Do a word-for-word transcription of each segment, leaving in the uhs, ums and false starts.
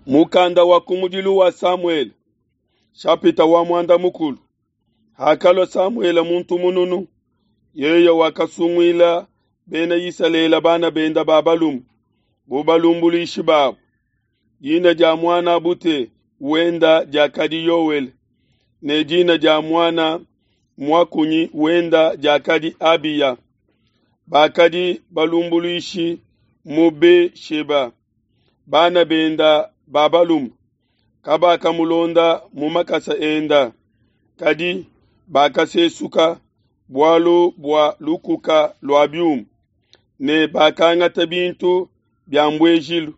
Mukanda wa kumudilu wa Samuele, shapita wa muanda mukulu. Hakalua Samuele muntu mununu, yeye wakasunguila Bena Isalele bana bende ba balume bu balumbuluishi babo. Dina dia muan'a bute wenda diakadi Yoele, ne dina dia muana muakunyi wenda diakadi Abiya. Bakadi balumbuluishi mu Be-sheba. Bana benda ba balume kabakamulonda mu makasa enda, kadi bakasesuka bualu bua lukuka lua biuma, ne bakangata bintu bia mbuejilu,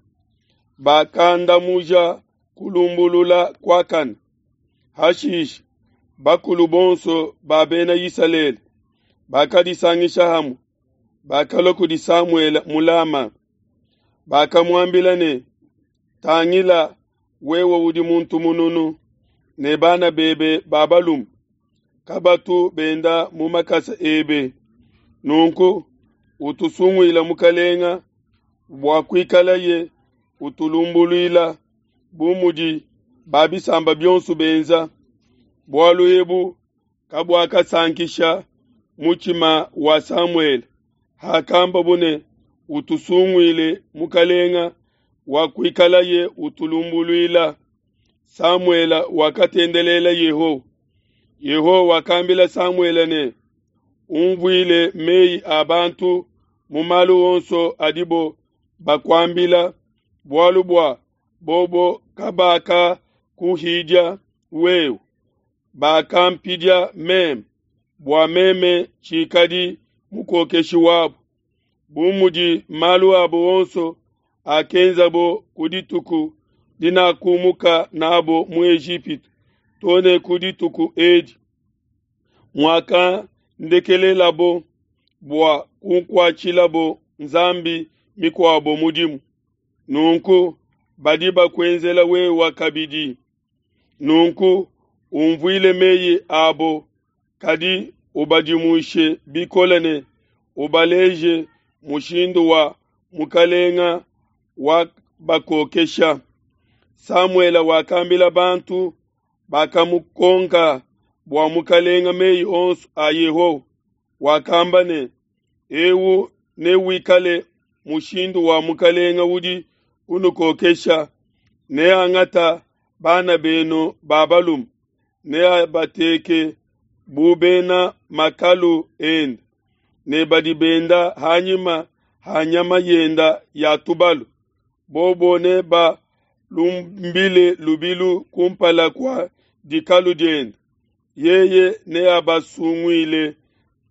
bakandamuja kulumbulula kuakane. Hashishe bakulu bonso ba Bena Isalele bakadisangisha hamue, bakalua kudi Samuele mu Lama. Bakamuambila ne, Tangila, wewe udi muntu mununu, ne bana bebe ba balume kabatu benda mu makasa ebe. Nunku utusunguile mukalenga bua kuikalaye utulumbuluila bu mudi ba bisamba bionso benza. Bualu ebu kabuakasankisha mutshima wa Samuele hakambabo ne, Utusunguile mukalenga wa kuikalaye utulumbuluila. Samuele wakatendelela Yehowa. Yehowa wakambila Samuele ne, Unvuile meyi a bantu mu malu onso adibo bakuambila, bualu bua bobo kabakakuhidia wewe, bakampidia meme, bua meme tshikadi mukokeshi wabo. Bu mudi malu abo onso akenzabo ku dituku dinakumuka n'abo mu Ejipitu to ne ku dituku edi, muakandekelelabo bua kunkuatshilabo nzambi mikuabo mudimu. Nunku badi bakuenzela wewe kabidi. Nunku unvuile meyi abo, kadi ubadimushe bikole ne ubaleje mushindu wa mukalenga wabakokesha. Samuele wakambila bantu bakamukonka bua mukalenga meyi onso a Yehowa. Wakamba ne, Eu newikale mushindu wa mukalenga udi unukokesha, neangata bana benu ba balume, neabateke bu bena makalu ende, ne badi benda hanyima ha nyama yenda ya tubalu. Bobo nebalumbile lubilu kumpala kua dikalu diende. Yeye neabasunguile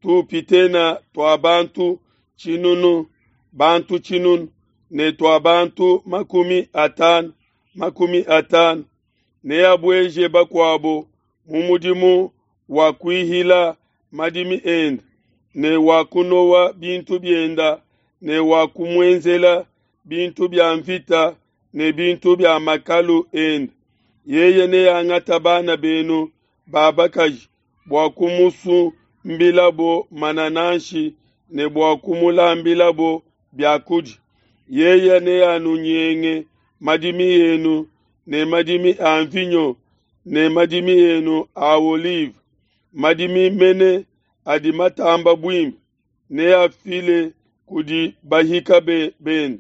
tupitena tua bantu tshinunu, bantu tshinunu, ne tua bantu makumi atanu, makumi atanu. Neabueje bakuabo mu mudimu wa kuihila madimi ende, ne wa kunowa bintu bienda, ne wa kumuenzela bintu bia mvita ne bintu bia makalu ende. Yeye neangata bana benu ba bakaji bua kumusumbilabo manananshi ne bua kumulambilabo biakudia. Yeye neanunyenge madimi enu ne madimi a mvinyo ne madimi enu a olive, madimi mene adi matamba buimpe, neafile kudi bahika bende.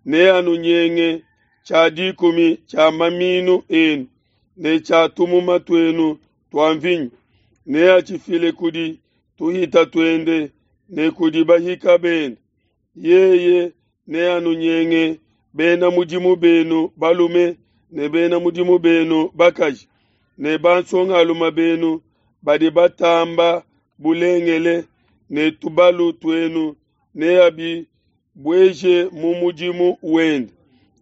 Neanunyenge tshia dikumi tshia maminu enu ne tshia tumuma tuenu tua mvinyo, neatshifile kudi tuhita tuende ne kudi bahika bende. Yeye neanunyenge bena mudimu benu balume ne bena mudimu benu bakaji, ne bansongalume benu badi batamba bulengele, ne tubalu tuenu neabibueje mu mudimu wende.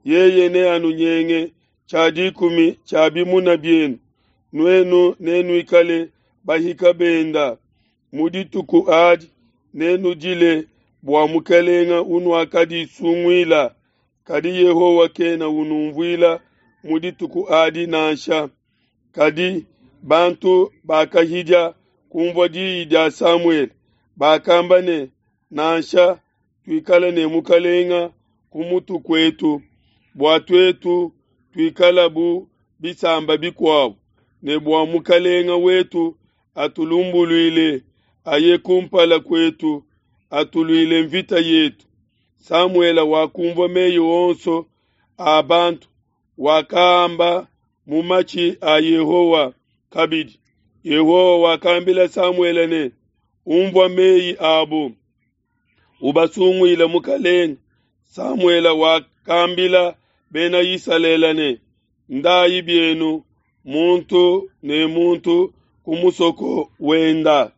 Yeye neanunyenge tshia dikumi tshia bimuna bienu, nuenu nenuikale bahika benda. Mu dituku adi nenudile bua mukalenga unuakadisunguila, kadi Yehowa kena unumvuila mu dituku adi nansha. Kadi bantu bakahidia kumvua diyi dia Samuele, bakamba ne, Nansha, tuikale ne mukalenga ku mutu kuetu, bua tuetu tuikala bu bisamba bikuabu, ne bua mukalenga wetu atulumbuluile, aye kumpala kuetu, atuluile mvita yetu. Samuele wakumvua meyi onso a bantu, wakaamba mu matshi a Yehowa kabidi. Yehowa wakambila Samuele ne, Umvua meyi abu, ubasunguile mukalenge. Samuele wakambila bena Isalele ne, Ndayi bienu, muntu ne muntu ku musoko wenda.